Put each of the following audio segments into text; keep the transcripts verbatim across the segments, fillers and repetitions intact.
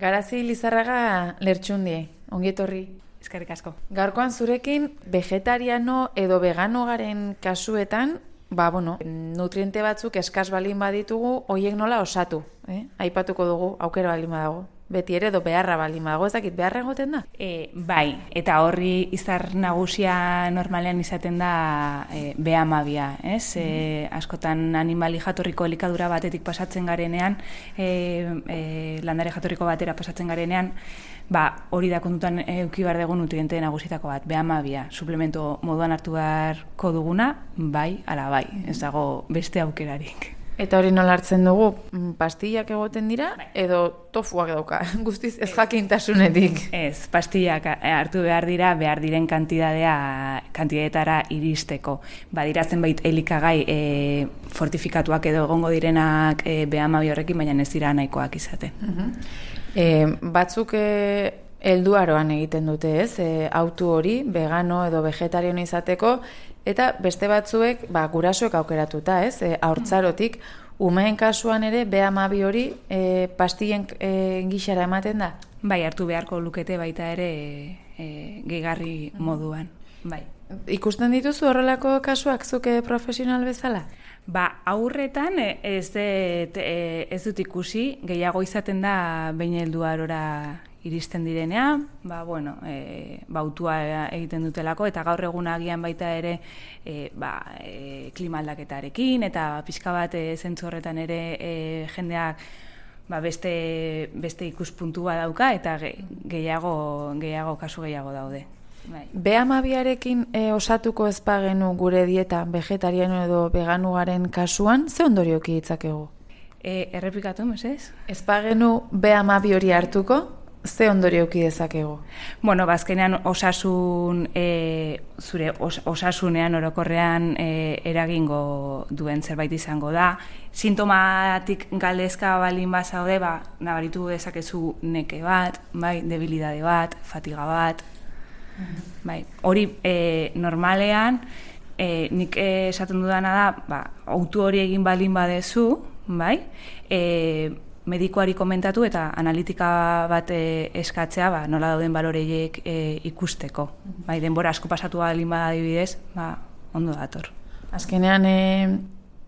Garazi Lizarraga Lertxundi, ongi etorri. Eskerrik asko. Gaurkoan zurekin vegetariano edo vegano garen kasuetan, ba, bueno, nutriente batzuk eskas balin baditugu, hoiek nola osatu, eh? Aipatuko dugu, aukera balin badago. Beti ere edo beharra balin badago, ez dakit, beharra egoten da? E, bai, eta horri izar nagusia normalean izaten da e, be hamabia, ez? E, askotan animali jatorriko elikadura batetik pasatzen garenean, e, e, landare jatorriko batera pasatzen garenean, ba, hori da kontutan eduki behar dugu nutriente nagusitako bat, be hamabia, suplemento moduan hartu beharko duguna, bai, ala bai, ez dago beste aukerarik. Eta hori nola hartzen dugu, pastillak egoten dira, edo tofuak dauka, guztiz ez jakintasunetik. Ez, pastillak hartu behar dira, behar diren kantidadea, kantidadetara iristeko. Badira zenbait elikagai e, fortifikatuak edo egongo direnak e, be hamabi horrekin, baina ez dira nahikoak izaten. Uh-huh. e, batzuk e, helduaroan egiten dute, ez? E, autu hori, vegano edo vegetariano izateko, eta beste batzuek, ba, gurasoek aukeratuta, ez? E, haurtzarotik, umeen kasuan ere, be hamabi hori e, pastillen e, gixara ematen da? Bai, hartu beharko lukete baita ere e, gehigarri moduan. Bai. Ikusten dituzu horrelako kasuak zuke profesional bezala? Ba, aurretan ez, det, ez dut ikusi, gehiago izaten da behin helduarora iristen direnean, ba, bueno, e, bautua egiten dutelako, eta gaur egun agian baita ere e, ba, e, klima aldaketarekin, eta pixka bat e, zentzu horretan ere e, jendeak ba, beste, beste ikuspuntua dauka, eta ge, gehiago, gehiago, kasu gehiago daude. Bai. be hamabiarekin e, osatuko ez bagenu gure dieta vegetariano edo vegano garen kasuan, ze ondorioki ditzakegu? E, errepikatu, mesez? Ez bagenu be hamabi hori hartuko, ze ondorioki dezakegu? Bueno, bazkenean osasun, e, zure os, osasunean orokorrean e, eragingo duen zerbait izango da. Sintomatik galdezka balin bazaude, ba, nabaritu dezakezu neke bat, bai, debilidade bat, fatiga bat. Bai, hori e, normalean, e, nik esaten dudana da, ba, autu hori egin balin badezu, bai, e, medikuari komentatu eta analitika bat e, eskatzea, ba, nola dauden baloreiek e, ikusteko. Bai, denbora asko pasatu balin bada adibidez, ba, ondo dator. Azkenean, e,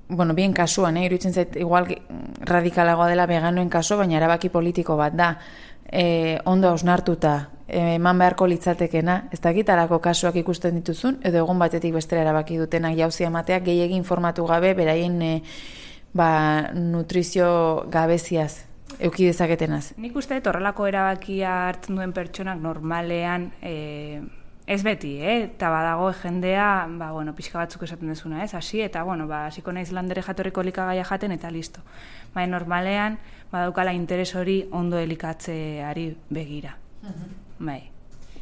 bueno, bien kasuan, eh, iruditzen zait, igual radikalagoa dela veganoen kasu, baina erabaki politiko bat da. E, ondo hausnartuta, eman beharko litzatekena, ez dakitarako kasuak ikusten dituzun, edo egon batetik bestera erabaki dutenak jauzia emateak gehiegi informatu gabe, beraien e, ba, nutrizio gabeziaz, euki dezaketenaz. Nik uste dut horrelako erabakia hartzen duen pertsonak normalean, e, ez beti, eh? Eta badago jendea, ba, bueno, pixka batzuk esaten dezuna, ez? Hasi, eta, bueno, ba, hasiko naiz landare jatorriko elikagaia jaten, eta listo. Ba, normalean, badaukala interes hori ondo elikatzeari begira. Uh-huh. Bai.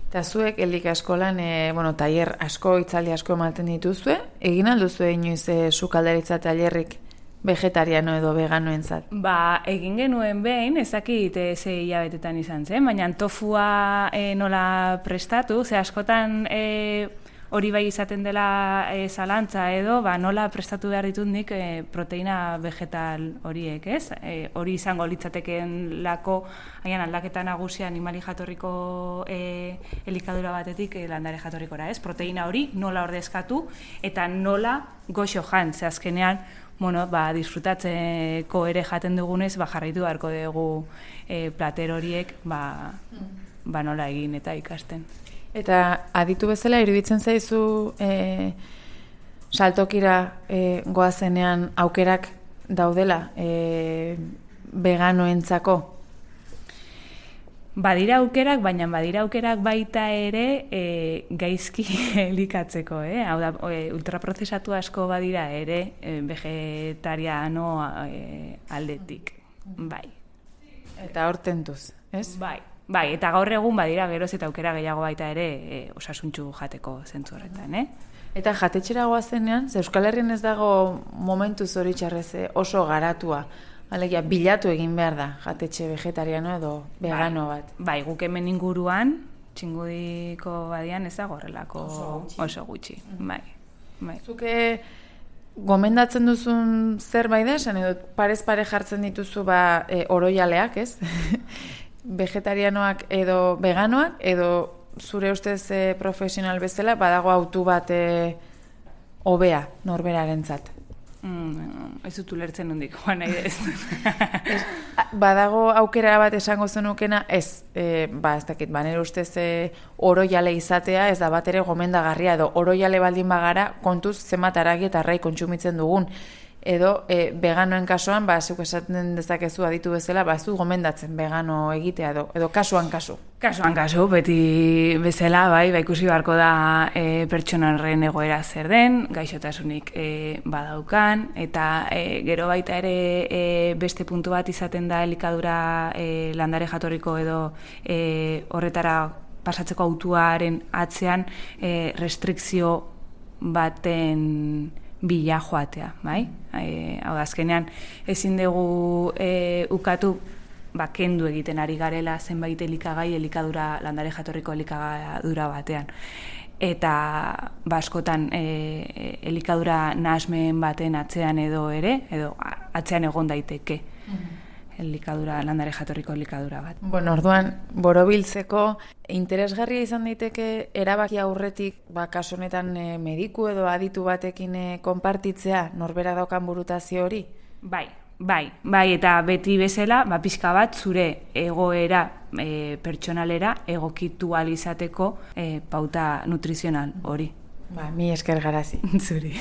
Eta zuek elika eskolan, e, bueno, tailer asko, itzaldi asko ematen dituzue, egin alduzu inoiz e, sukaldaritza tailerrik vegetariano edo veganoentzat? Ba, egin genuen behin, ezakit ze hilabetetan izan zen, baina tofua e, nola prestatu, ze askotan e, hori bai izaten dela e, zalantza edo, ba, nola prestatu behar ditut nik e, proteina vegetal horiek, ez? E, hori izango litzateken lako, haian aldaketa nagusia animali jatorriko e, elikadura batetik e, landare jatorrikora, ez? Proteina hori nola ordezkatu eta nola goxo jan, ze azkenean, bueno, ba, disfrutatzeko ere jaten dugunez, ba, jarraitu beharko dugu e, plater horiek, ba, ba nola egin eta ikasten. Eta aditu bezala iruditzen zaizu e, saltokira e, goazenean aukerak daudela e, veganoentzako? Badira aukerak, baina badira aukerak baita ere e, gaizki elikatzeko, eh? Hau da, e, ultraprozesatu asko badira ere e, vegetariano e, aldetik, bai. Eta hor tentuz, ez? Bai, bai, eta gaur egun badira geroz eta aukera gehiago baita ere e, osasuntxu jateko zentzu horretan, eh? Eta jatetxera goazenean, ze Euskal Herrian ez dago momentu zoritxarrez oso garatua, alegia, bilatu egin behar da, jatetxe vegetariano edo vegano bat. Bai, guk hemen inguruan, Txingudiko badian ez dago horrelako oso gutxi. Oso gutxi. Bai, bai. Zuke gomendatzen duzun zerbait da, esan edo parez pare jartzen dituzu ba, e, oroialeak, ez? vegetarianoak edo veganoak, edo zure ustez e, profesional bezala, badago autu bat e, hobea norberarentzat? Mm, ez dut ulertzen nondik, joan nahi ez. Badago aukera bat esango zenukena, ez, e, ba, ez dakit, ba, nire ustez e, oroiale izatea, ez da bat ere gomendagarria, edo oroiale baldin bagara, kontuz zenbat aragi eta arrai kontsumitzen dugun, edo e, veganoen kasuan, ba, zuk esaten dezakezu aditu bezala, ba, ez du gomendatzen vegano egitea, edo, edo kasuan kasu. Kasuan kasu, beti bezala, bai, ba, ikusi beharko da e, pertsonaren egoera zer den, gaixotasunik e, badaukan, eta e, gero baita ere e, beste puntu bat izaten da elikadura e, landare jatorriko edo e, horretara pasatzeko autuaren atzean e, restrikzio baten bila joatea, bai? E, hau da, azkenean ezin dugu e, ukatu ba, kendu egiten ari garela zenbait elikagai elikadura landare jatorriko elikadura batean. Eta ba, askotan e, elikadura nahasmen baten atzean edo ere, edo atzean egon daiteke. Mm-hmm. Elikadura, landare jatorriko elikadura bat. Bueno, orduan, borobiltzeko interesgarria izan daiteke erabaki aurretik, ba, kasu honetan e, mediku edo aditu batekin e, konpartitzea norbera daukan burutazio hori? Bai, bai, bai, eta beti bezala, ba, pixka bat zure egoera e, pertsonalera egokitu ahal izateko e, pauta nutrizional hori. Ba, mi esker garazi. Zuri.